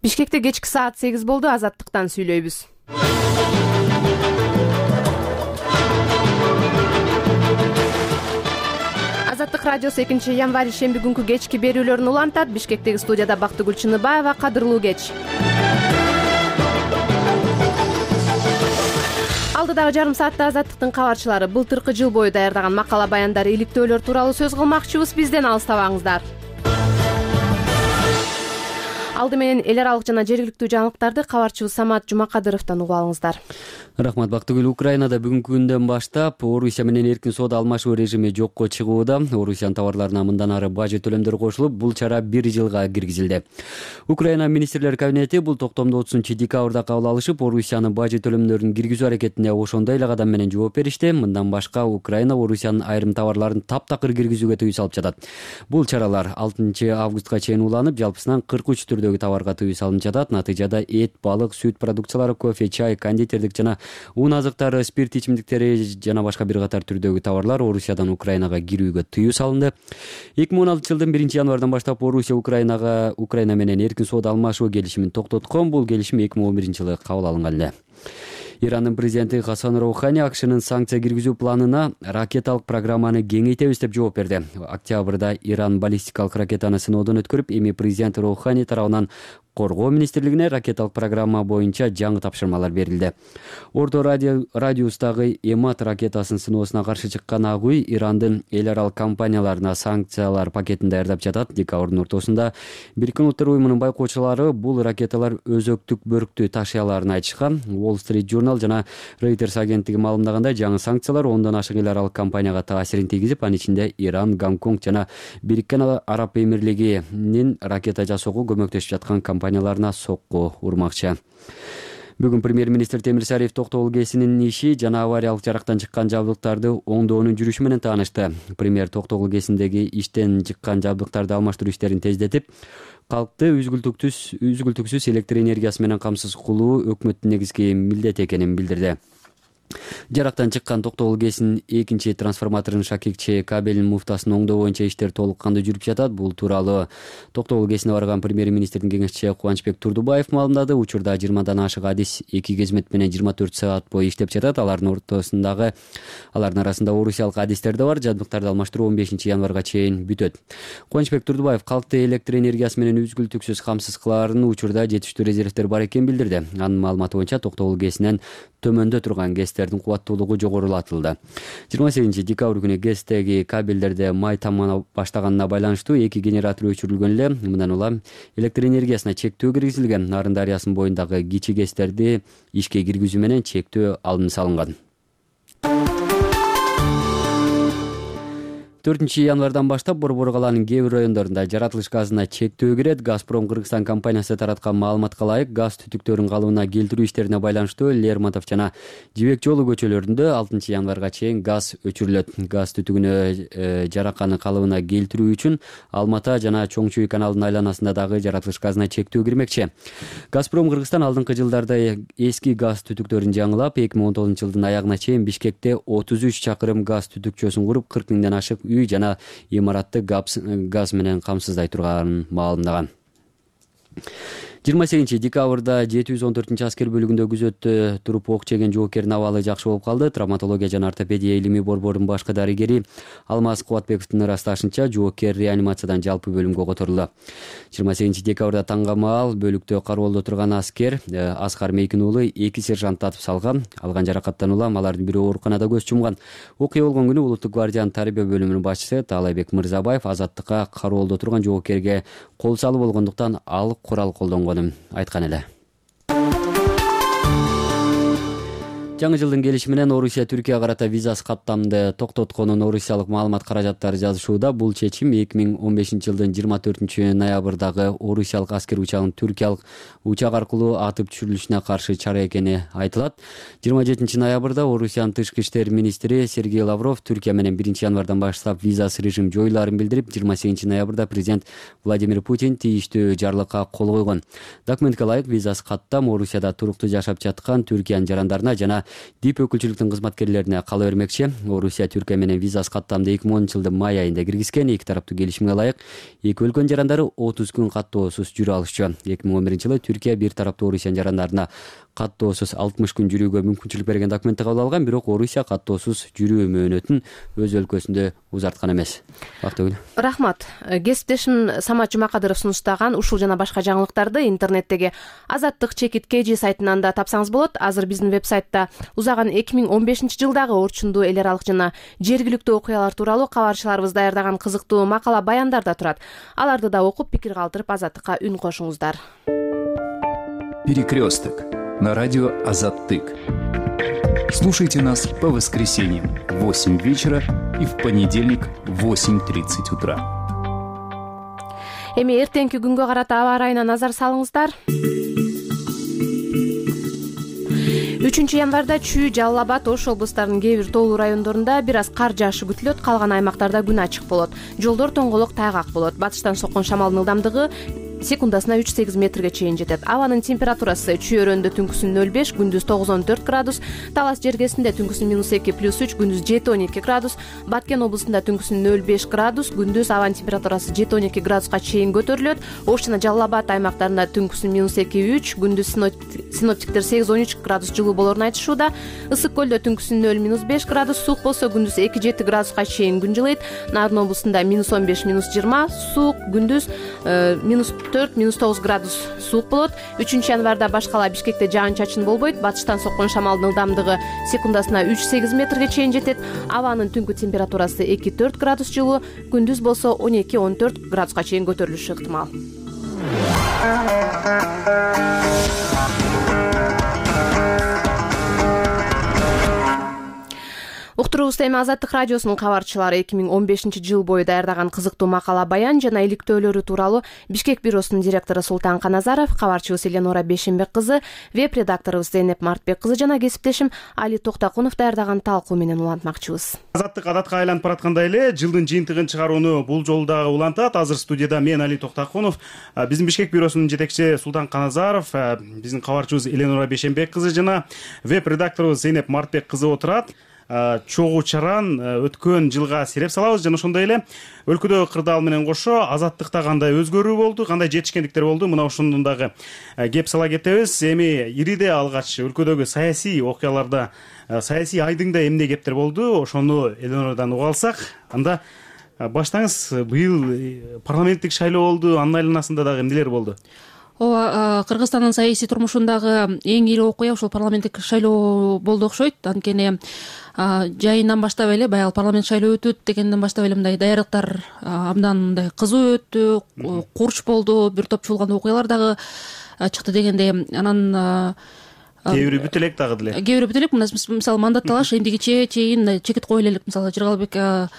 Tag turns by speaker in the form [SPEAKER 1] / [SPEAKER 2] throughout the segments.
[SPEAKER 1] Бишкекте кечки саат 8 болду. Азаттыктан сүйлөйбүз. Азаттык радиосу 2-январь шемби күнкү кечки берүүлөрүн улантат. Бишкектеги студияда Бактыгүл Чыныбаева. Кадырлуу кеч. Алдыдагы жарым саатта Азаттыктын кабарчылары былтыркы жыл бою даярдаган макала баяндар, иликтөөлөр тууралуу сөз кылмакчыбыз. Бизден алыстабаңыздар. Алды менен эл аралык жана жергиликтүү жаңылыктарды кабарчыбыз Самат Жумакадыровдон угуп алыңыздар.
[SPEAKER 2] Рахмат Бактыгүл. Украинада бүгүнкү күндөн баштап Орусия менен эркин соода алмашуу режими жокко чыгууда. Орусиянын товарларына мындан ары бажы төлөмдөр кошулуп, бул чара 1 жылга киргизилди. Украина министрлер кабинети бул токтомду 30-декабрда кабыл алышып, Орусиянын бажы төлөмдөрүн киргизүү аракетине ошондой эле кадам менен жооп беришти. Мындан башка Украина Орусиянын айрым товарларын таптакыр киргизүүгө тыюу салып жатат. Бул чаралар 6-августка чейин уланып, жалпысынан 43 түрдөгү товарга тыюу салынып жатат. Натыйжада эт, балык, сүт продукциялары, кофе, чай, кондитердик жана уун азыктары, спирт ичимдиктери жана башка бир катар түрдөгү товарлар Орусиядан Украинага кирүүгө тыюу салынды. 2016-жылдын 1-январдан баштап Орусия Украина менен эркин соода алмашуу келишимин токтоткон. Бул келишим 2011-жылы кабыл алынган эле. Ирандын президенти Хасан Роухани АКШнын санкция киргизүү планына ракеталык программаны кеңейтебиз деп жооп берди. Октябрда Иран баллистикалык ракетаны сыноодон өткөрүп, эми президент Роухани тарабынан Коргоо министрлигине ракеталык программа боюнча жаңы тапшырмалар берилди. Орто радиустагы Эмат ракетасын сыноосуна каршы чыккан ак үй Ирандын эл аралык компанияларына санкциялар пакетин даярдап жатат. Декабрдын ортосунда Бириккен Улуттар уюмунун байкоочулары бул ракеталар өзөктүк бөрктү ташый аларын айтышкан. Wall Street Journal жана Reuters агенттиги маалымдагандай, жаңы санкциялар 10дон ашык эл аралык компанияга таасирин тийгизип, анын ичинде Иран, Гонконг жана Бириккен Араб Эмирлигинин ракета жасоого көмөктөшүп жаткан компанияларына сокку урмакчы. Бүгүн премьер-министр Темир Сариев Токтогул КЭСинин иши жана авариялык жарактан чыккан жабдыктарды оңдоонун жүрүшү менен таанышты. Премьер Токтогул КЭСиндеги иштен чыккан жабдыктарды алмаштыруу иштерин тездетип, калкты үзгүлтүксүз электр энергиясы менен камсыз кылуу өкмөттүн негизги милдети экенин билдирди. Жарактан чыккан Токтогул КЭСинин 2 трансформаторунун шакекче кабелинин муфтасын оңдоо боюнча иштер толук кандуу жүрүп жатат. Бул тууралуу Токтогул КЭСине барган премьер-министрдин кеңешчиси Кубанычбек Турдубаев маалымдады. Учурда 20дан ашык адис 2 кызмет менен 24 саат бою иштеп жатат. Алардын арасында орусиялык адистер да бар. Жабдыктарды алмаштыруу 15-январга чейин бүтөт. Кубанычбек Турдубаев калкты электр энергиясы менен үзгүлтүксүз камсыз кылаарын учурда жетиштүү резервдер бар экенин билдирди. Анын маалыматы боюнча Токтогул КЭСинен төмөндө турган КЭСтердин кубаттуулугу жогорулатылды. 28-декабрь күнү КЭСтеги кабелдерде май тамгана баштаганына байланыштуу 2 генератор өчүрүлгөн эле. Мындан улам электр энергиясына чектөө киргизилген. Нарын дарыясынын боюндагы кичи КЭСтерди ишке киргизүү менен чектөө алынып салынган. 4-январдан баштап Борбор калаанын кээ бир райондорунда жаратылыш газына чектөө кирет. Газпром Кыргызстан компаниясы тараткан маалыматка ылайык, газ түтүктөрүнүн калыбына келтирүү иштерине байланыштуу Лермонтов жана Жибек жолу көчөлөрүндө 6-январга чейин газ өчүрүлөт. Газ түтүгүнө жараканы калыбына келтирүү үчүн Алмата жана Чоң Чүй каналынын айланасында дагы жаратылыш газына чектөө кирмекчи. Газпром Кыргызстан алдыңкы жылдарда эски газ түтүктөрүн жаңылап, 2019-жылдын аягына чейин Бишкекте 33 чакырым газ түтүкчөсүн куруп, 40 миңден ашык үй жана имаратты газ менен камсыздай турганын маалымдаган. 28-декабрда 714-аскер бөлүгүндө күзөттө туруп ок жеген жоокердин абалы жакшы болуп калды. Травматология жана ортопедия илимий борборунун башкы дарыгери Алмаз Кубатбековдун ырасташынча, жоокер реанимациядан жалпы бөлүмгө которулду. 28-декабрда таңга маал бөлүктө кароолдо турган аскер Аскар Мейкин уулу 2 сержант татып салган. Алган жаракаттан улам алардын бирөө ооруканада көз жумган. Окуя болгон күнү Улуттук гвардиянын тарбия бөлүмүнүн башчысы Таалайбек Мырзабаев Азаттыкка кароолдо турган жоокерге кол салуу болгондуктан ал курал колдонгон айткан эле. Жаңы жылдын келиши менен Орусия Түркияга карата визасыз каттамды токтотконун орусиялык маалымат каражаттары жазышууда. Бул чечим 2015-жылдын 24-ноябрдагы орусиялык аскер учагынын түркиялык учак аркылуу атып түшүрүлүшүнө каршы чара экени айтылат. 27-ноябрда Орусиянын тышкы иштер министри Сергей Лавров Түркия менен 1-январдан баштап визасыз режим жоюлаарын билдирип, 28-ноябрда президент Владимир Путин тийиштүү жарлыкка кол койгон. Документке ылайык визасыз каттам Орусияда туруктуу жашап жаткан Түркиянын жарандарына жана дип өкүлчүлүктүн кызматкерлерине кала бермекчи. Орусия Түркия менен визасыз каттамды 2010-жылдын май айында киргизген. Эки тараптуу келишимге ылайык эки өлкөнүн жарандары 30 күн каттоосуз жүрө алышчу. 2011-жылы Түркия бир тараптуу Орусиянын жарандарына каттоосуз 60 күн жүрүүгө мүмкүнчүлүк берген документти кабыл алган, бирок Орусия каттоосуз жүрүү мөөнөтүн өз өлкөсүндө узарткан эмес. Бактыгүл.
[SPEAKER 1] Рахмат. Кесиптешим Самат Жумакадыров сунуштаган ушул жана башка жаңылыктарды интернеттеги Азаттык чекит KG сайтынан да тапсаңыз болот. Азыр биздин веб-сайтта узаган 2015-жылдагы орчундуу эл аралык жана жергиликтүү окуялар тууралуу кабарчыларыбыз даярдаган кызыктуу макала баяндар да турат. Аларды да окуп, пикир калтырып, Азаттыкка үн кошуңуздар.
[SPEAKER 3] Перекресток на радио Азаттык. Слушайте нас по воскресеньям в 8 вечера и в понедельник в 8:30 утра.
[SPEAKER 1] Эми эртеңки күнгө карата аба ырайына назар салыңыздар. 3 январда Чүй, Жалал Абад, Ош облустарынын кээ бир тоолуу райондорунда бир аз кар жаашы күтүлөт. Калган аймактарда күн ачык болот. Жолдор тоңголок, тайгак болот. Батыштан соккон шамалдын ылдамдыгы секундасына 3-8 метрге чейин жетет. Абанын температурасы Чүй өрөндө түнкүсүн 0,5, күндүз 9-14 градус, Талас жергесинде түнкүсүн -2, +3, күндүз 7-12 градус, Баткен облусунда түнкүсүн 0,5 градус, күндүз абанын температурасы 7-12 градуска чейин көтөрүлөт. Ош жана Жалал Абад аймактарында түнкүсүн -2-3, күндүз синоптиктер 8-13 градус жылуу болорун айтышууда. Ысык көлдө түнкүсүн 0-5 градус, суук болсо күндүз 2-7 градуска чейин күн жылыйт. Нарын облусунда -15, -20, суук, күндүз -4-9 градус суук болот. 3 январда башкала Бишкекте жаан-чачын болбойт. Батыштан соккон шамалдын ылдамдыгы секундасына 3-8 метрге чейин жетет. Абанын түнкү температурасы 2-4 градус жылуу, күндүз болсо 12-14 градуска чейин көтөрүлүшү ыктымал. Уктуруубузда эми Азаттык радиосунун кабарчылары 2015-жыл бою даярдаган кызыктуу макала баян жана иликтөөлөрү тууралуу Бишкек бюросунун директору Султан Каназаров, кабарчыбыз Эленора Бешенбек кызы, веб-редакторубуз Зейнеп Мартбек кызы жана кесиптешим Али Токтакунов даярдаган талкуу менен улантмакчыбыз.
[SPEAKER 4] Азаттык адатка айланып бараткандай эле жылдын жыйынтыгын чыгарууну бул жолу дагы улантат. Азыр студияда мен Али Токтакунов, биздин Бишкек бюросунун жетекчиси Султан Каназаров, биздин кабарчыбыз Эленора Бешенбек кызы жана веб-редакторубуз Зейнеп Мартбек кызы отурат. Чогуу чаран өткөн жылга сереп салабыз жана ошондой эле өлкөдөгү кырдаал менен кошо азаттыкта кандай өзгөрүү болду, кандай жетишкендиктер болду, мына ошондон дагы кеп сала кетебиз. Эми ириде алгач өлкөдөгү саясий окуяларда, саясий айдыңда эмне кептер болду, ошону Эленорадан уга алсак, анда баштаңыз. Быйыл парламенттик шайлоо болду, анын айланасында дагы эмнелер болду?
[SPEAKER 5] Ооба, Кыргызстандын саясий турмушундагы эң ири окуя ушул парламенттик шайлоо болду окшойт. Анткени жайынан баштап эле, баягы парламент шайлоо өтөт дегенден баштап эле мындай даярдыктар абдан мындай кызуу өттү, курч болду, бир топ чуулган окуялар дагы чыкты дегендей. Анан
[SPEAKER 4] кээ бири бүт элек дагы деле.
[SPEAKER 5] Кээ бири бүт элек, мисалы мандат талаш эмдигиче чейин чекит кое элек. Мисалы Жыргалбек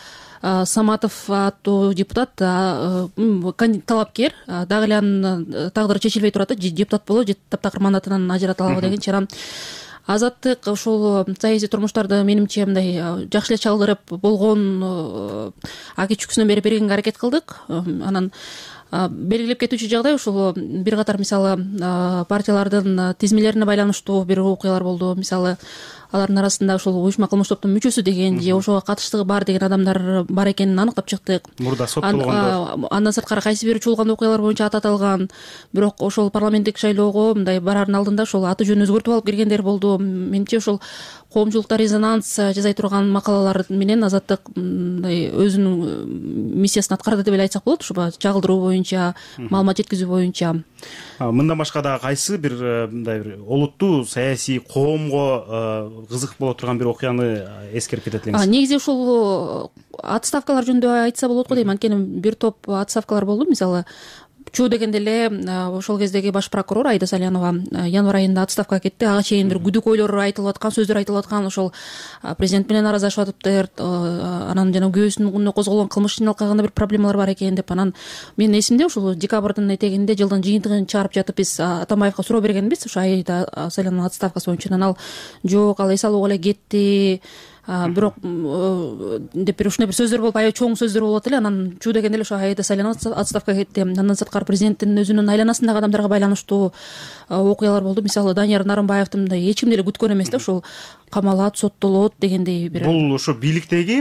[SPEAKER 5] Саматов аттуу депутат, талапкер, дагы эле анын тагдыры чечилбей турат да, депутат болобу же таптакыр мандатынан ажырата алабы дегенчи. Анан Азаттык ушул саясий турмуштарды менимче мындай жакшы эле чалдырып болгон аки чүкүсүнөн бери бергенге аракет кылдык. Анан белгилеп кетүүчү жагдай ушул бир катар мисалы партиялардын тизмелерине байланыштуу бир окуялар болду. Мисалы алардын арасында ушул уюшма кылмыш топтун мүчөсү деген же ошого катыштыгы бар деген адамдар бар экенин аныктап чыктык.
[SPEAKER 4] Мурда соттолгондор.
[SPEAKER 5] Андан сырткары кайсы бир чуулган окуялар боюнча ат аталган. Бирок ошол парламенттик шайлоого мындай бараардын алдында ошол аты жөнүн өзгөртүп алып киргендер болду. Менимче ошол коомчулукта резонанс жасай турган макалалар менен Азаттык мындай өзүнүн миссиясын аткарды деп эле айтсак болот. Ушул чагылдыруу боюнча, маалымат жеткизүү боюнча.
[SPEAKER 4] Мындан башка дагы кайсы бир мындай бир олуттуу саясий коомго кызык боло турган бир окуяны эскерип кетет элеңиз?
[SPEAKER 5] Негизи ушул отставкалар жөнүндө айтса болот го дейм. Анткени бир топ отставкалар болду. Мисалы Чуу дегенде эле ошол кездеги баш прокурор Айда Салянова январь айында отставкага кетти. Ага чейин бир күдүкөйлөр айтылып аткан, сөздөр айтылып аткан, ошол президент менен араздашып атыптыр, анан жана күбөсүнүн күнүнө козголгон кылмыш жыйналткагында бир проблемалар бар экен деп. Анан менин эсимде ушул декабрдын этегинде жылдын жыйынтыгын чыгарып жатып биз Атамбаевка суроо бергенбиз ошо Айда Салянованын отставкасы боюнча. Анан ал жок, ал эс алууга эле кетти, бирок деп бир ушундай бир сөздөр болуп, аябай чоң сөздөр болуп эле. Анан чуу дегенде эле ошо Айда Салянова отставкага кетти. Андан сырткары президенттин өзүнүн айланасындагы адамдарга байланыштуу окуялар болду. Мисалы Данияр Нарымбаевдин мындай эч кимди эле күткөн эмес да, ушул камалат, соттолот дегендей бир.
[SPEAKER 4] Бул ушу бийликтеги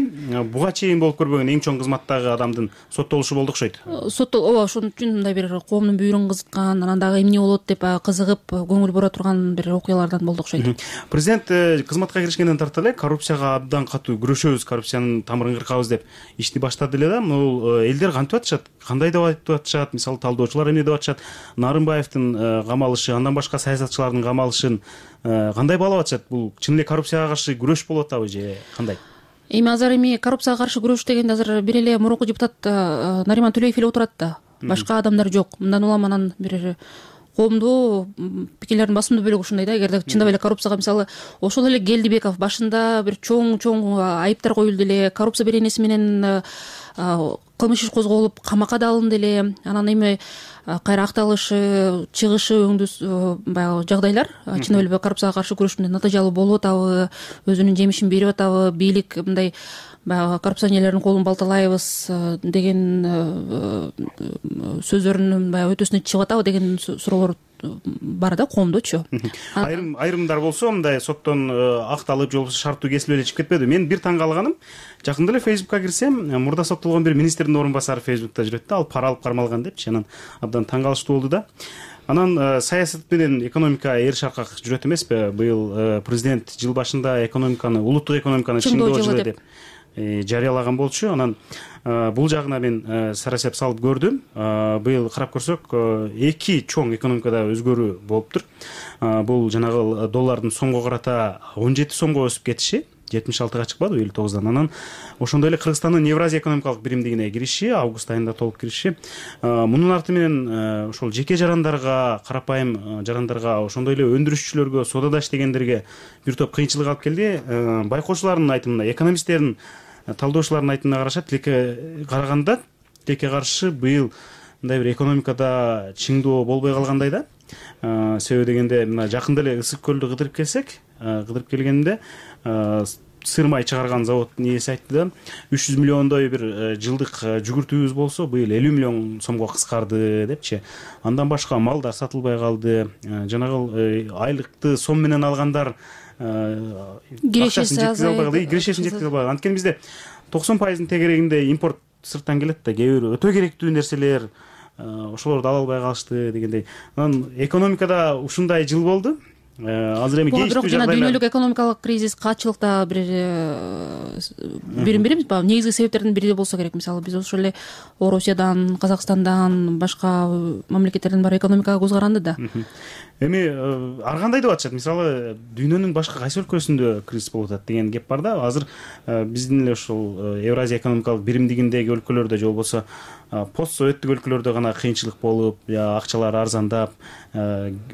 [SPEAKER 4] буга чейин болуп көрбөгөн эң чоң кызматтагы адамдын соттолушу болду окшойт.
[SPEAKER 5] Ооба, ошон үчүн мындай бир коомдун бүйүрүн кызыткан, анан дагы эмне болот деп кызыгып көңүл бура турган бир окуялардан болду окшойт.
[SPEAKER 4] Президент кызматка киришкенден тарта эле коррупцияга абдан катуу күрөшөбүз, коррупциянын тамырын кыркабыз деп ишти баштады эле да. Бул элдер кантип атышат, кандай деп айтып атышат, мисалы талдоочулар эмне деп атышат, Нарымбаевдин камалышы, андан башка саясатчылардын камалышын кандай баалап атышат? Бул чын эле коррупцияга каршы күрөш болуп атабы же кандай?
[SPEAKER 5] Азыр коррупцияга каршы күрөш дегенде азыр бир эле мурунку депутат Нариман Төлөев эле отурат да. Башка адамдар жок. Мындан улам анан бир коомдуу пикирлердин басымдуу бөлүгү ушундай да. Эгерде чындап эле коррупцияга мисалы ошол эле Келдибеков башында бир чоң айыптар коюлду эле, коррупция беренеси менен кылмыш иш козголуп камакка да алынды эле. Анан эми кайра акталышы, чыгышы өңдүү баягы жагдайлар чындап эле коррупцияга каршы күрөштү натыйжалуу болуп атабы, өзүнүн жемишин берип атабы, бийлик мындай баягы коррупционерлердин колун балталайбыз деген сөздөрүнүн баягы өтөсүнө чыгып атабы деген суроолор бар да коомдочу.
[SPEAKER 4] Айрымдар болсо мындай соттон акталып же болбосо шарттуу кесилип эле чыгып кетпеди. Мен бир таң калганым, жакында эле Facebook'ка кирсем, мурда соттолгон бир министрдин орун басары Facebook'та жүрөт да, ал пара алып кармалган депчи. Анан абдан таң калыштуу болду да. Анан саясат менен экономика эр шаркак жүрөт эмеспи? Быйыл президент жыл башында экономиканы, улуттук экономиканы чыңдоо жылы деп жарыялаган болчу. Анан бул жагына мен сарасеп салып көрдүм. Быйыл карап көрсөк, эки чоң экономикада өзгөрүү болуптур. Бул жанагы доллардын сомго карата 17 сомго өсүп кетиши, 76-га чыкпады 59-дан. Анан ошондой эле Кыргызстандын Евразия экономикалык биримдигине кириши, август айында толук кириши. Мунун арты менен ошол жеке жарандарга, карапайым жарандарга, ошондой эле өндүрүшчүлөргө, соодада иштегендерге бир топ кыйынчылык алып келди. Байкоочулардын айтымына, экономисттердин, талдоочулардын айтымына караганда, тилекке каршы быйыл мындай бир экономикада чыңдоо болбой калгандай да. Себеби дегенде, мына жакында эле Ысык көлдү кыдырып келгенде сыр май чыгарган заводдун ээси айтты да, 300 миллиондой бир жылдык жүгүртүүбүз болсо, быйыл 50 миллион сомго кыскарды депчи. Андан башка малдар сатылбай калды. Жанагы айлыкты сом менен алгандар
[SPEAKER 5] кирешесин
[SPEAKER 4] жеткизе албай. Анткени бизде 90% тегерегинде импорт сырттан келет да, кээ бир өтө керектүү нерселер ошолорду ала албай калышты дегендей. Анан экономикада ушундай жыл болду. Азыр эми
[SPEAKER 5] бирок жана дүйнөлүк экономикалык кризис, катчылыкта бирин-бирибиз негизги себептердин бири болсо керек. Мисалы биз ошол эле Орусиядан, Казакстандан, башка мамлекеттерден баары экономикага көз каранды да.
[SPEAKER 4] Эми ар кандай деп атышат? Мисалы дүйнөнүн башка кайсы өлкөсүндө кризис болуп атат деген кеп бар да. Азыр биздин эле ушул Евразия экономикалык биримдигиндеги өлкөлөрдө же болбосо постсоветтик өлкөлөрдө гана кыйынчылык болуп, акчалар арзандап,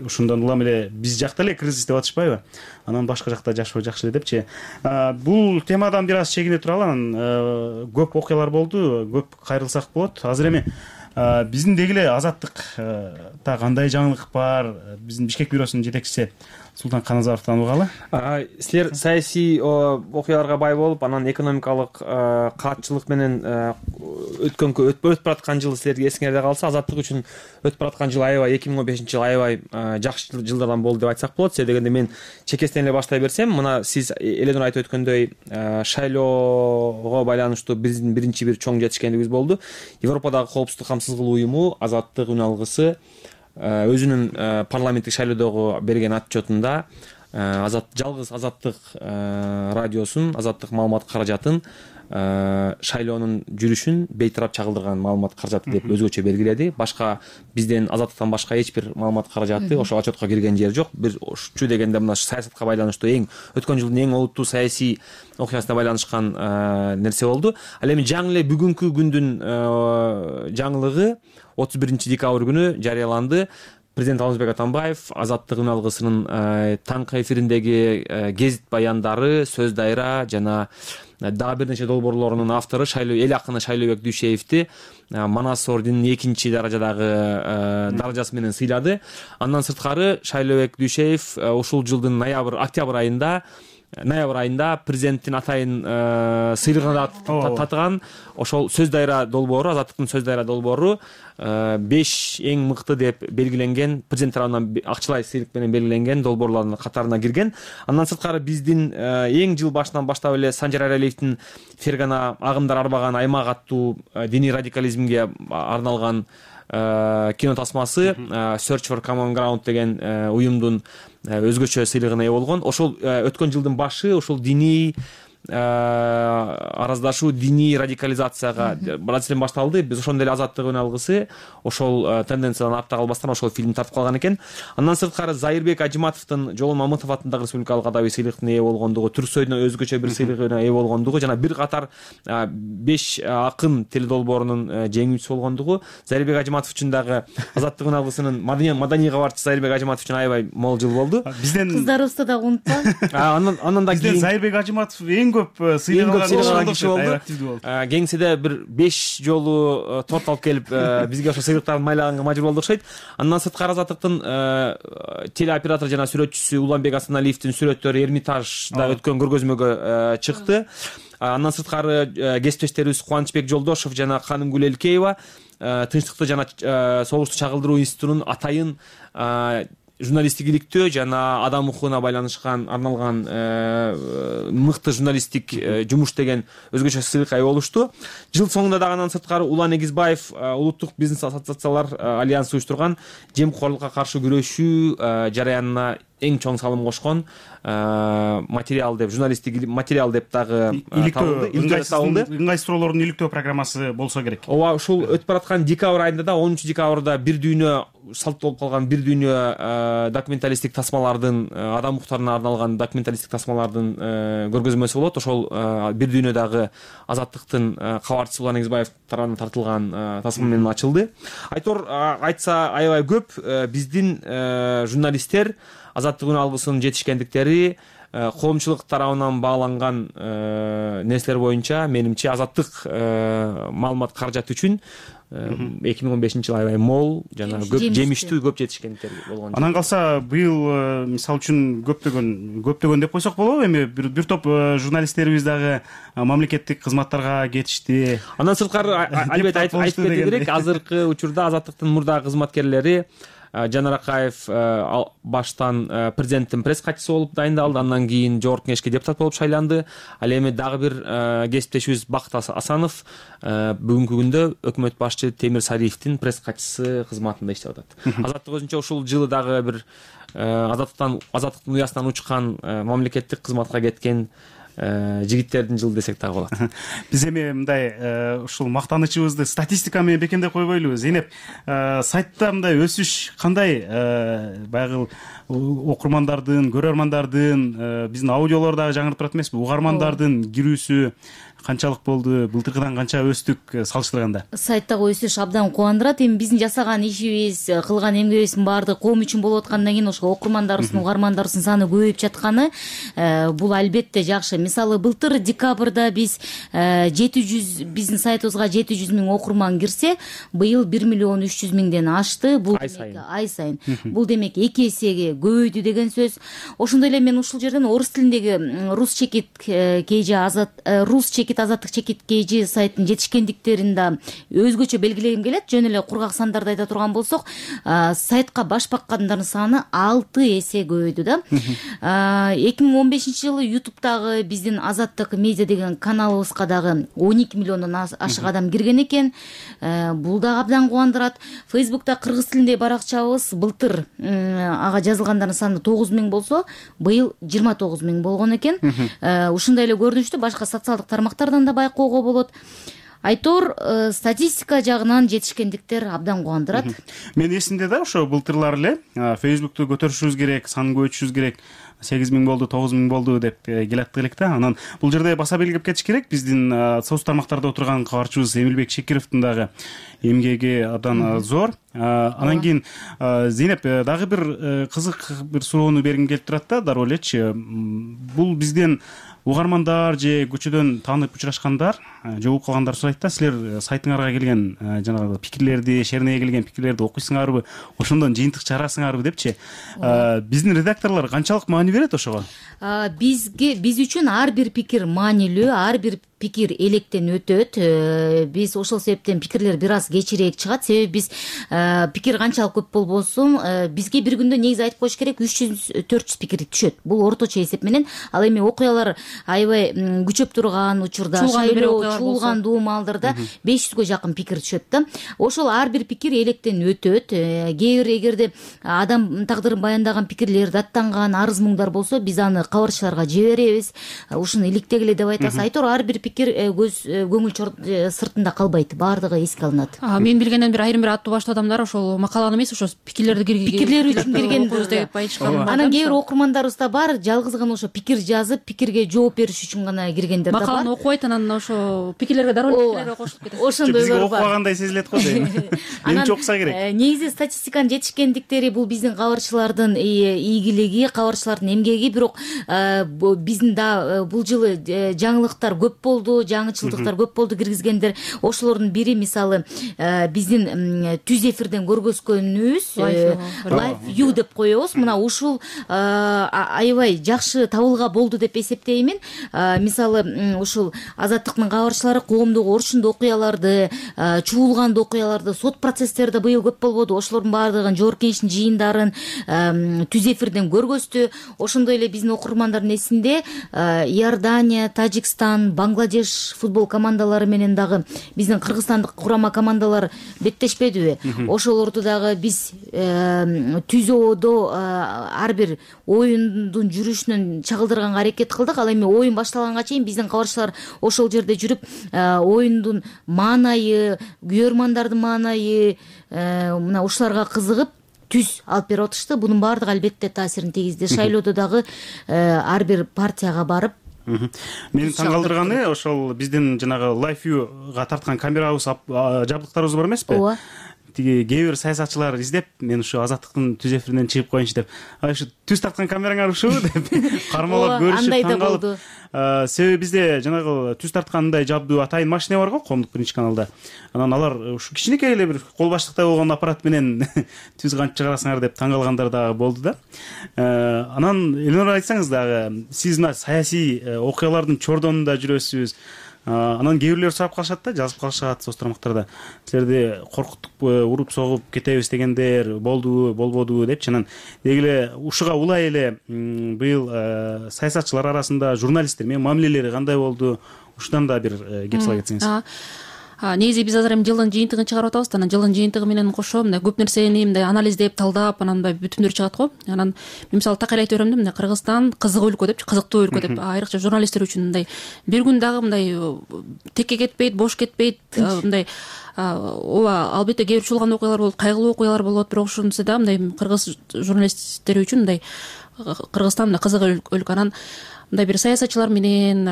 [SPEAKER 4] ушундан улам эле биз жакта эле кризис деп атышпайбы? Анан башка жакта жашоо жакшы эле депчи. Бул темадан бир аз чегине туралы, анан көп окуялар болду, көп кайрылсак болот. Азыр эми биздин деги эле Азаттыкта кандай жаңылык бар? Биздин Бишкек бюросунун жетекчиси Султан Каназаровдон угалы.
[SPEAKER 6] Силер саясий окуяларга бай болуп, анан экономикалык катчылык менен өтүп бараткан жыл силерге эсиңерде калса, Азаттык үчүн өтүп бараткан жыл аябай 2015 жыл аябай жакшы жылдардан болду деп айтсак болот. Себеби дегенде мен чекестен эле баштай берсем, мына сиз Эленур айтып өткөндөй шайлоого байланыштуу биздин биринчи бир чоң жетишкендигибиз болду. Европадагы коопсуздук камсыз кылуу уюму Азаттык үн алгысы өзүнүн парламенттик шайлоодогу берген отчетунда жалгыз Азаттык радиосун, Азаттык маалымат каражатын шайлоонун жүрүшүн бейтарап чагылдырган маалымат каражаты деп өзгөчө белгиледи. Башка бизден Азаттыктан башка эч бир маалымат каражаты ошол отчетко кирген жери жок. Бир ушчу дегенде мына саясатка байланыштуу өткөн жылдын эң олуттуу саясий окуясына байланышкан нерсе болду. Ал эми жаңы эле бүгүнкү күндүн жаңылыгы 31-декабрь күнү жарыяланды. Президент Алмазбек Атамбаев Азаттык үн алгысынын таңкы эфириндеги гезит баяндары, сөз дайра жана дагы бир нече долбоорлорунун автору эл акыны Шайлообек Дүйшеевди Манас орденинин 2 даражадагы даражасы менен сыйлады. Андан сырткары Шайлообек Дүйшеев ушул жылдын октябрь айында ноябрь айында президенттин атайын сыйлыгына да татыган. Ошол сөз дайра долбоору, Азаттыктын сөз дайра долбоору 5 эң мыкты деп белгиленген, президент тарабынан акчалай сыйлык менен белгиленген долбоорлордун катарына кирген. Андан сырткары биздин эң жыл башынан баштап эле Санжар Айралиевдин Фергана агымдар арбаган аймак аттуу диний радикализмге арналган кино тасмасы Search for Common Ground деген уюмдун өзгөчө сыйлыгына ээ болгон. Ошол өткөн жылдын башы ошол диний араздашуу, диний радикализацияга процесстен башталды. Биз ошондой эле Азаттык алгысы ошол тенденциядан артта калбастан ошол фильм тартып калган экен. Андан сырткары Зайырбек Ажиматовдун Жолон Мамытов атындагы республикалык адабий сыйлыктын ээ болгондугу, Түрксойдун өзгөчө бир сыйлыгына ээ болгондугу жана бир катар 5 акын теледолбоорунун жеңүүчүсү болгондугу, Зайырбек Ажиматов үчүн дагы Азаттык алгысынын маданий кабарчысы Зайырбек Ажиматов үчүн аябай мол жыл болду.
[SPEAKER 7] Бизден кыздарыбызды да унутпа.
[SPEAKER 6] Андан да
[SPEAKER 4] кийин Зайырбек Ажиматов эң көп сыйлыгын киши болду.
[SPEAKER 6] Кеңседе бир 5 жолу торт алып келип бизге ошо сыйлыктарды майлаганга мажбур болду окшойт. Андан сырткары Азаттыктын телеоператор жана сүрөтчүсү Уланбек Асаналиевдин сүрөттөрү Эрмитажда өткөн көргөзмөгө чыкты. Андан сырткары кесиптештерибиз Кубанычбек Жолдошов жана Канымгүл Элкеева Тынчтыкты жана согушту чагылдыруу институтунун атайын журналисттик иликтөө жана адам укугуна байланышкан арналган мыкты журналисттик жумуш деген өзгөчө сыйлыкка ээ болушту. Жыл соңунда дагы андан сырткары Улан Эгизбаев улуттук бизнес ассоциациялар альянсы уюштурган жемкорлукка каршы күрөшүү жараянына эң чоң салым кошкон материал деп, журналисттик материал деп дагы
[SPEAKER 4] ыңгай суроолордун иликтөө программасы болсо керек.
[SPEAKER 6] Ооба, ушул өтүп бараткан декабрь айында да 10-декабрда бир дүйнө салт болуп калган бир дүйнө документалисттик тасмалардын, адам укуктарына арналган документалисттик тасмалардын көргөзмөсү болот. Ошол бир дүйнө дагы Азаттыктын кабарчысы Улан Эгизбаев тарабынан тартылган тасма менен ачылды. Айтса аябай көп биздин журналисттер Азаттык алгысынын жетишкендиктери, коомчулук тарабынан бааланган нерселер боюнча менимче Азаттык маалымат каражаты үчүн 2015 жыл аябай мол жана көп жемиштүү, көп жетишкендиктер болгон.
[SPEAKER 4] Анан калса быйыл мисалы үчүн көптөгөн деп койсок болобу? Эми бир топ журналисттерибиз дагы мамлекеттик кызматтарга кетишти.
[SPEAKER 6] Андан сырткары албетте айтып кетүү керек, азыркы учурда Азаттыктын мурдагы кызматкерлери Жанар Акаев баштан президенттин пресс катчысы болуп дайындалды, андан кийин жогорку кеңешке депутат болуп шайланды. Ал эми дагы бир кесиптешибиз Бакыт Асанов бүгүнкү күндө өкмөт башчы Темир Сариевдин пресс катчысы кызматында иштеп атат. Азаттык өзүнчө ушул жылы дагы бир Азаттыктын уясынан учкан мамлекеттик кызматка кеткен жигиттердин жылы десек дагы болот.
[SPEAKER 4] Биз эми мындай ушул мактанычыбызды статистика менен бекемдеп койбойлубу? Зейнеп, сайтта мындай өсүш кандай? Баягы окурмандардын, көрөрмандардын, биздин аудиолор дагы жаңырып турат эмеспи? Угармандардын кирүүсү канчалык болду? Былтыркыдан канча өстүк салыштырганда?
[SPEAKER 7] Сайттагы өсүш абдан кубандырат. Эми биздин жасаган ишибиз, кылган эмгегибиздин баардыгы коом үчүн болуп аткандан кийин ошол окурмандарыбыздын, угармандарыбыздын саны көбөйүп жатканы бул албетте жакшы. Мисалы, былтыр декабрда биз 700 биздин сайтыбызга 700 миң окурман кирсе, быйыл 1 миллион 300 миңден ашты. Бул ай сайын. Бул демек 2 эсеге көбөйдү деген сөз. Ошондой эле мен ушул жерден орус тилиндеги рус чекит Азаттык чекит KG сайттын жетишкендиктерин да өзгөчө белгилегим келет. Жөн эле кургак сандарды айта турган болсок, сайтка баш баккандардын саны 6 эсе көбөйдү да. 2015-жылы YouTube'дагы биздин Азаттык медиа деген каналыбызга дагы 12 миллиондон ашык адам кирген экен. Бул да абдан кубандырат. Facebook'та кыргыз тилиндеги баракчабыз былтыр ага жазылгандардын саны 9 миң болсо, быйыл 29 миң болгон экен. Ушундай эле көрүнүштү башка социалдык тармактардан да байкоого болот. Айтор статистика жагынан жетишкендиктер абдан кубандырат.
[SPEAKER 4] Мен эсимде да ошо былтырлар эле Facebook'ту көтөрүшүбүз керек, санын көбөйтүшүбүз керек. 8 миң болду, 9 миң болду деп келаттык элек да. Анан бул жерде баса белгилеп кетиш керек. Биздин соц тармактарда отурган кабарчыбыз Эмилбек Шекировдун дагы эмгеги абдан зор. Анан кийин Зейнеп дагы бир кызык бир суроону бергим келип турат да, дароо элечи. Бул бизден угармандар же көчөдөн таанып учурашкандар же угуп калгандар сурайт да, силер сайтыңарга келген жанагы пикирлерди, шернеге келген пикирлерди окуйсуңарбы, ошондон жыйынтык чыгарасыңарбы депчи. Биздин редакторлор канчалык маани берет ошого?
[SPEAKER 7] Биз үчүн ар бир пикир маанилүү, ар бир пикир электен өтөт. Биз ошол себептен пикирлер бир аз кечирээк чыгат. Себеби биз пикир канчалык көп болбосун, бизге бир күндө негизи айтып коюш керек 300-400 пикир түшөт. Бул орточо эсеп менен. Ал эми окуялар аябай күчөп турган учурда, чуулган маалдарда 500гө жакын пикир түшөт да. Ошол ар бир пикир электен өтөт. Кээ бир эгерде адам тагдырын баяндаган пикирлер даттанган арыз муңдар болсо, биз аны кабарчыларга жиберебиз. Ушуну иликтегиле деп айтасыз. Айтор ар бир пикир көңүл сыртында калбайт, баардыгы эске алынат.
[SPEAKER 5] Мен билгенден бир айрым бир аттуу баштуу адамдар ошол макаланы эмес, ошо пикирлер үчүн кирген деп айтышкан.
[SPEAKER 7] Анан кээ бир окурмандарыбыз да бар, жалгыз гана ошо пикир жазып, пикирге жооп бериш үчүн гана киргендер да бар.
[SPEAKER 5] Макаланы окубайт, анан ошо пикирлерге дароо пикирлерге кошулуп кетет.
[SPEAKER 7] Ошондойлор бар.
[SPEAKER 4] Окубагандай сезилет го дейм. Менимче окуса керек.
[SPEAKER 7] Негизи статистиканын жетишкендиктери бул биздин кабарчылардын ийгилиги, кабарчылардын эмгеги. Бирок биздин да бул жылы жаңылыктар көп болду, жаңычылдыктар көп болду киргизгендер. Ошолордун бири мисалы биздин түз эфирден көргөзгөнүбүз Live View деп коебуз. Мына ушул аябай жакшы табылга болду деп эсептеймин. Мисалы ушул Азаттыктын кабарчылары коомдук орчундуу окуяларды, чуулгандуу окуяларды, сот процесстерди быйыл көп болбоду. Ошолордун баардыгын жогорку кеңештин жыйындарын түз эфирден көргөздү. Ошондой эле биздин окурмандардын эсинде Иордания, Тажикстан, Бангладеш футбол командалары менен дагы биздин кыргызстандык курама командалар беттешпедиби? Ошолорду дагы биз түз ободо ар бир оюндун жүрүшүнөн чагылдырганга аракет кылдык. Ал эми оюн башталганга чейин биздин кабарчылар ошол жерде жүрүп оюндун маанайы, күйөрмандардын маанайы, мына ушуларга кызыгып түз алып берип атышты. Бунун баардыгы албетте таасирин тийгизди. Шайлоодо дагы ар бир партияга барып
[SPEAKER 4] Мени таң калтырганы ошол биздин жанагы Live View-га тарткан камерабыз, жабдыктарыбыз бар эмеспи?
[SPEAKER 7] Ооба.
[SPEAKER 4] Тиги кээ бир саясатчылар издеп, мен ушу Азаттыктын түз эфиринен чыгып коеюнчу деп, ушу түз тарткан камераңар ушубу деп кармалап көрүшүп таң калып. Себеби бизде жанагы түз тарткандай жабдуу атайын машина бар го, коомдук биринчи каналда. Анан алар ушу кичинекей эле бир кол баштыктай болгон аппарат менен түз кантип чыгарасыңар деп таң калгандар дагы болду да. Анан Эленора, айтсаңыз дагы, сиз мына саясий окуялардын чордонунда жүрөсүз. Анан кээ бирлер сурап калышат да, жазып калышат соц тармактарда. Силерди коркуттук, уруп согуп кетебиз дегендер болдубу, болбодубу депчи. Анан деги эле ушуга улай эле быйыл саясатчылар арасында журналисттер менен мамилелери кандай болду? Ушудан да бир кеп сала кетсеңиз.
[SPEAKER 5] Негизи биз азыр эми жылдын жыйынтыгын чыгарып атабыз. Анан жылдын жыйынтыгы менен кошо мындай көп нерсени мындай анализдеп, талдап, анан мындай бүтүмдөр чыгат го. Анан мен мисалы такыр айтып берем да, мындай Кыргызстан кызык өлкө депчи, кызыктуу өлкө деп, айрыкча журналисттер үчүн мындай бир күн дагы мындай текке кетпейт, бош кетпейт, мындай ооба, албетте кээ бир чуулган окуялар болот, кайгылуу окуялар болот, бирок ушунусу да мындай кыргыз журналисттери үчүн мындай Кыргызстан мындай кызык өлкө. Анан мындай бир саясатчылар менен,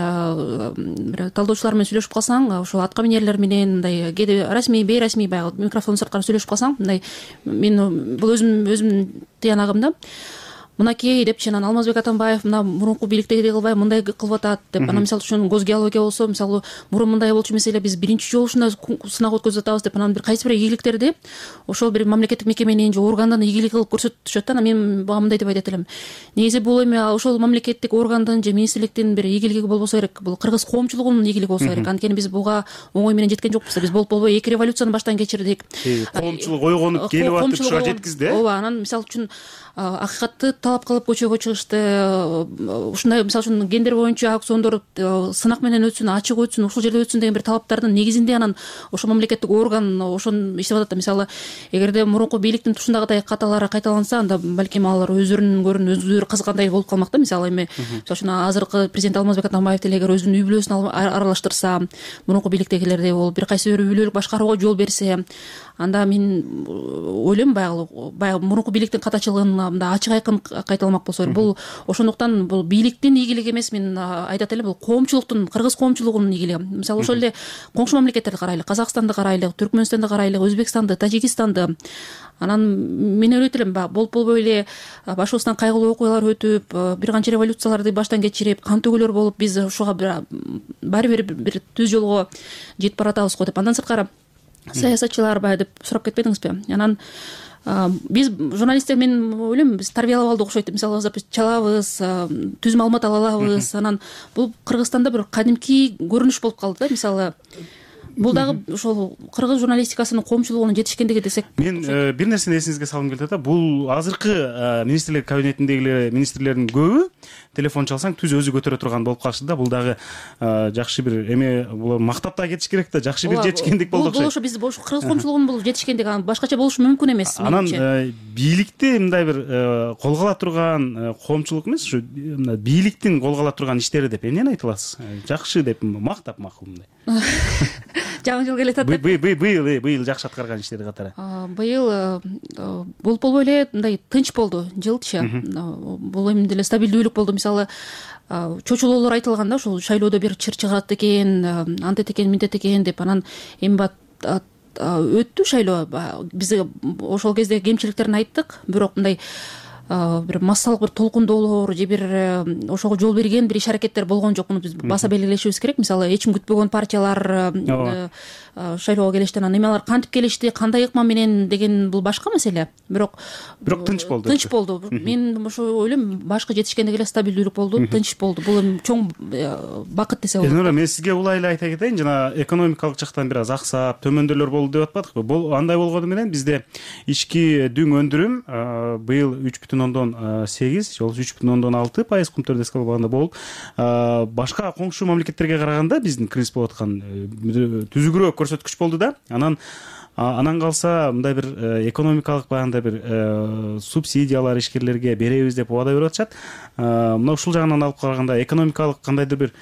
[SPEAKER 5] бир талдоочулар менен сүйлөшүп калсаң, ошол атка минерлер менен мындай кээде расмий, бейрасмий баягы микрофондун сырткары сүйлөшүп калсаң, мындай мен бул өзүмдүн тыянагым да. Мынакей депчи, анан Алмазбек Атамбаев мына мурунку бийликтегидей кылбай мындай кылып атат деп, анан мисалы үчүн госгеология болсо, мисалы мурун мындай болчу маселе, биз биринчи жолу ушундай сынак өткөзүп атабыз деп, анан бир кайсы бир ийгиликтерди ошол бир мамлекеттик мекеменин же органдын ийгилиги кылып көрсөтүшөт да. Анан мен буга мындай деп айтат элем. Негизи бул эми ошол мамлекеттик органдын же министрликтин бир ийгилиги болбосо керек, бул кыргыз коомчулугунун ийгилиги болсо керек. Анткени биз буга оңой менен жеткен жокпуз. Биз болбой эки революцияны баштан кечирдик.
[SPEAKER 4] Коомчулук ойгонуп келип атып ушуга жеткизди.
[SPEAKER 5] Ооба, анан мисалы үчүн акыйкатты талап кылып көчөгө чыгышты. Ушундай мисалы үчүн гендер боюнча аукциондор сынак менен өтсүн, ачык өтсүн, ушул жерде өтсүн деген бир талаптардын негизинде анан ошол мамлекеттик орган ошону иштеп атат да. Мисалы эгерде мурунку бийликтин тушундагыдай каталары кайталанса, анда балким алар өздөрүнүн көрүн өздөрү кызыккандай болуп калмак да. Мисалы эми мисалы үчүн азыркы президент Алмазбек Атамбаев деле эгер өзүнүн үй бүлөсүн аралаштырса, мурунку бийликтегилердей болуп бир кайсы бир үй бүлөлүк башкарууга жол берсе, анда мен ойлойм баягы мурунку бийликтин катачылыгын мындай ачык айкын кайталамак болсо бул ошондуктан бул бийликтин ийгилиги эмес, мен айтат элем, бул коомчулуктун, кыргыз коомчулугунун ийгилиги. Мисалы ошол эле коңшу мамлекеттерди карайлык, Казакстанды карайлык, Түркмөнстандды карайлык, Өзбекстанды, Тажикистанды. Анан мен ойлойт элем, болбой эле башыбыздан кайгылуу окуялар өтүп, бир канча революцияларды баштан кечирип, кан төгүүлөр болуп, биз ушуга баары бир түз жолго жетип баратабыз го деп. Андан сырткары саясатчылар баягы деп сурап кетпедиңизби? Анан биз журналисттер, мен ойлойм, биз тарбиялап алдык окшойт. Мисалы биз чалабыз, түз маалымат ала алабыз. Анан бул Кыргызстанда бир кадимки көрүнүш болуп калды да. Мисалы бул дагы ошол кыргыз журналистикасынын коомчулугунун жетишкендиги десек. Мен
[SPEAKER 4] бир нерсени эсиңизге салгым келет да. Бул азыркы министрлер кабинетиндегилер, министрлердин көбү телефон чалсаң түз өзү көтөрө турган болуп калышты да. Бул дагы жакшы бир эме, булар мактап да кетиш керек да. Жакшы бир жетишкендик болду окшойт. Бул ошо биз кыргыз коомчулугунун бул жетишкендиги, башкача болушу мүмкүн эмес.
[SPEAKER 2] Анан бийликти мындай бир колго ала турган коомчулук эмес, ушу бийликтин колго ала турган иштери деп эмнени айта аласыз? Жакшы деп мактап макул мындай.
[SPEAKER 5] Жаңы жыл келе атат.
[SPEAKER 4] Быйыл жакшы аткарган иштери катары.
[SPEAKER 5] Быйыл болбой эле мындай тынч болду жылчы. Бул эми деле стабилдүүлүк болду. Мисалы чочулоолор айтылган да, ушул шайлоодо бир чыр чыгат экен, антет экен, минтет экен деп. Анан эми өттү шайлоо. Биз ошол кезде кемчиликтерин айттык, бирок мындай бир массалык бир толкундоолор же бир ошого жол берген бир иш-аракеттер болгон жок. Муну биз баса белгилешибиз керек. Мисалы эч ким күтпөгөн партиялар шайлоого келишти. Анан эми алар кантип келишти, кандай ыкма менен деген бул башка маселе. Бирок
[SPEAKER 4] тынч болду.
[SPEAKER 5] Тынч болду. Мен ошо ойлойм, башкы жетишкендиги эле стабилдүүлүк болду, тынч болду. Бул эми чоң бакыт десе болот.
[SPEAKER 4] Элнура, мен сизге улай эле айта кетейин, жана экономикалык жактан бир аз аксап, төмөндөөлөр болду деп атпадыкпы? Бул андай болгону менен бизде ички дүң өндүрүм быйыл 3,8, же 3,6% кумтөрдө эске алганда болуп, башка коңшу мамлекеттерге караганда биздин кризис болуп аткан түзүгүрөөк көрсөткүч болду да. Анан калса мындай бир экономикалык баягындай бир субсидиялар ишкерлерге беребиз деп убада берип атышат. Мына ушул жагынан алып караганда экономикалык кандайдыр бир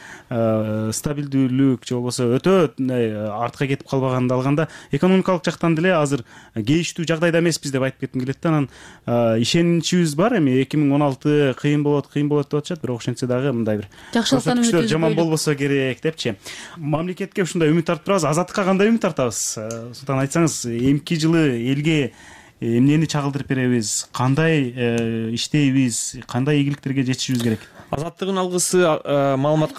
[SPEAKER 4] стабилдүүлүк же болбосо өтө артка кетип калбаганды алганда, экономикалык жактан деле азыр кейиштүү жагдайда эмеспиз деп айтып кетким келет да. Анан ишеничибиз бар, эми 2016 кыйын болот деп атышат, бирок ошентсе дагы мындай бир көрсөткүчтөр жаман болбосо керек депчи. Мамлекетке ушундай үмүт артып турабыз. Азаттыкка кандай үмүт артабыз? Султан, айтсаңыз, эмки жылы элге эмнени чагылдырып беребиз, кандай иштейбиз, кандай ийгиликтерге жетишибиз керек?
[SPEAKER 6] Азаттыгын алгысы маалымат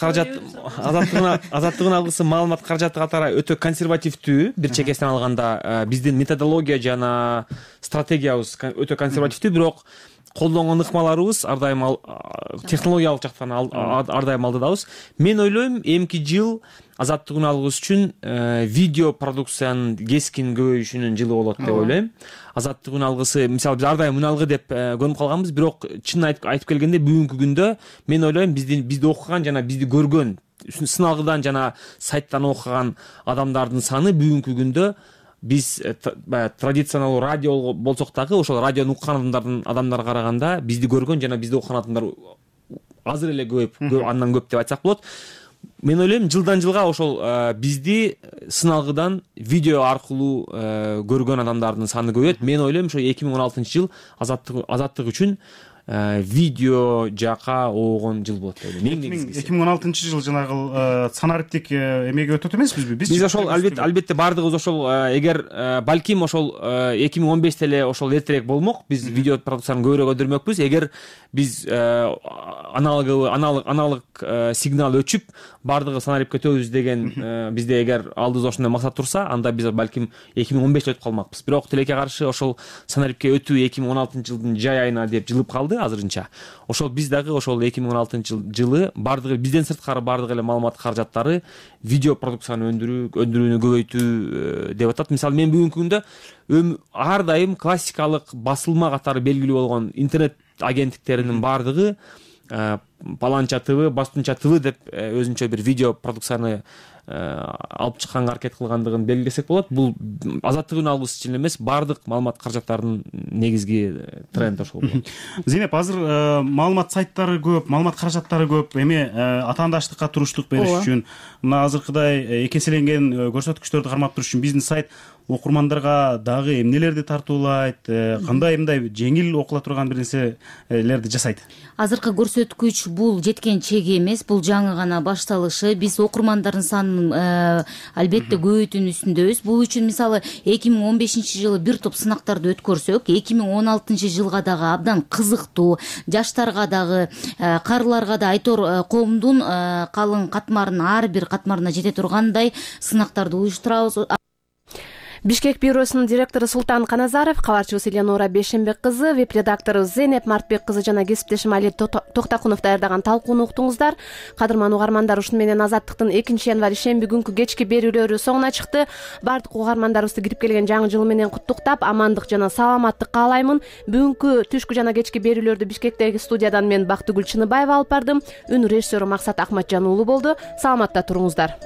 [SPEAKER 6] каражаты катары өтө консервативдүү. Бир чекесинен алганда биздин методология жана стратегиябыз өтө консервативдүү, бирок колдонгон ыкмаларыбыз ар дайым технологиялык жактан ар дайым алдыдабыз. Мен ойлойм, эмки жыл азаттыгын алгыс үчүн видео продукциянын кескин көбөйүшүнүн жылы болот деп ойлойм. Азаттыгын алгысы, мисалы, биз ар дайым үналгы деп көнүп калганбыз, бирок чынын айтып келгенде бүгүнкү күндө мен ойлойм, бизди окуган жана бизди көргөн, сыналгыдан жана сайттан окуган адамдардын саны бүгүнкү күндө биз традиционалдуу радио болсок дагы ошол радиону уккан адамдарга караганда бизди көргөн жана бизди окуган адамдар азыр эле көп, андан көп деп айтсак болот. Мен ойлойм, жылдан жылга ошол бизди сыналгыдан видео аркылуу көргөн адамдардын саны көбөйөт. Мен ойлойм, ошо 2016 жыл азаттык үчүн видео жака оогон жыл болот деп ойлойм.
[SPEAKER 4] 2016 жыл жанагы санариптик эмеге өтөт эмеспизби?
[SPEAKER 6] Биз ошол албетте бардыгыбыз ошол, эгер балким ошол 2015 эле ошол эртерээк болмок, биз видео продукцияны көбүрөөк өндүрмөкпүз. Эгер биз аналог сигнал өчүп бардыгы санарипке өтөбүз деген бизде эгер алдыбызда ошондой максат турса, анда биз балким 2015 өтүп калмакпыз. Бирок тилекке каршы ошол санарипке өтүү 2016 жылдын жай айына деп жылып калды азырынча. Ошол биз дагы ошол 2016 жылы бардыгы бизден сырткары бардык эле маалымат каражаттары видео продукцияны өндүрүүнү көбөйтүү деп атат. Мисалы, мен бүгүнкү күндө ар дайым классикалык басылма катары белгилүү болгон интернет агенттиктеринин бардыгы Паланча ТВ, Бастунча ТВ деп өзүнчө бир видео продукцияны алып чыкканга аракет кылгандыгын белгилесек болот. Бул азаттыгын алгыс үчүн эмес, бардык маалымат каражаттарынын негизги тренди ошол болот.
[SPEAKER 4] Зейнеп, азыр маалымат сайттары көп, маалымат каражаттары көп, эми атаандаштыкка туруштук бериш үчүн, мына азыркыдай эки эселенген көрсөткүчтөрдү кармап туруш үчүн бизнес сайт окурмандарга дагы эмнелерди тартуулайт, кандай мындай жеңил окула турган бир нерселерди жасайт?
[SPEAKER 7] Азыркы көрсөткүч бул жеткен чеги эмес, бул жаңы гана башталышы. Биз окурмандардын санын албетте көбөйтүүнүн үстүндөбүз. Бул үчүн мисалы 2015-жылы бир топ сынактарды өткөрсөк, 2016-жылга дагы абдан кызыктуу, жаштарга дагы, карыларга да айтор коомдун калың катмарынын ар бир катмарына жете тургандай сынактарды уюштурабыз.
[SPEAKER 1] Бишкек бюросунун директору Султан Каназаров, кабарчыбыз Эленора Бейшенбек кызы, веб-редактору Зейнеп Мартбек кызы жана кесиптешим Али Токтакунов даярдаган талкууну уктуңуздар. Кадырман угармандар, ушуну менен Азаттыктын 2-январь ишемби күнкү кечки берүүлөрү соңуна чыкты. Бардык угармандарыбызды кирип келген жаңы жыл менен куттуктап, амандык жана саламаттык каалаймын. Бүгүнкү түшкү жана кечки берүүлөрдү Бишкектеги студиядан мен Бактыгүл Чыныбаева алып бардым. Үн режиссеру Максат Акматжан уулу болду. Саламатта туруңуздар.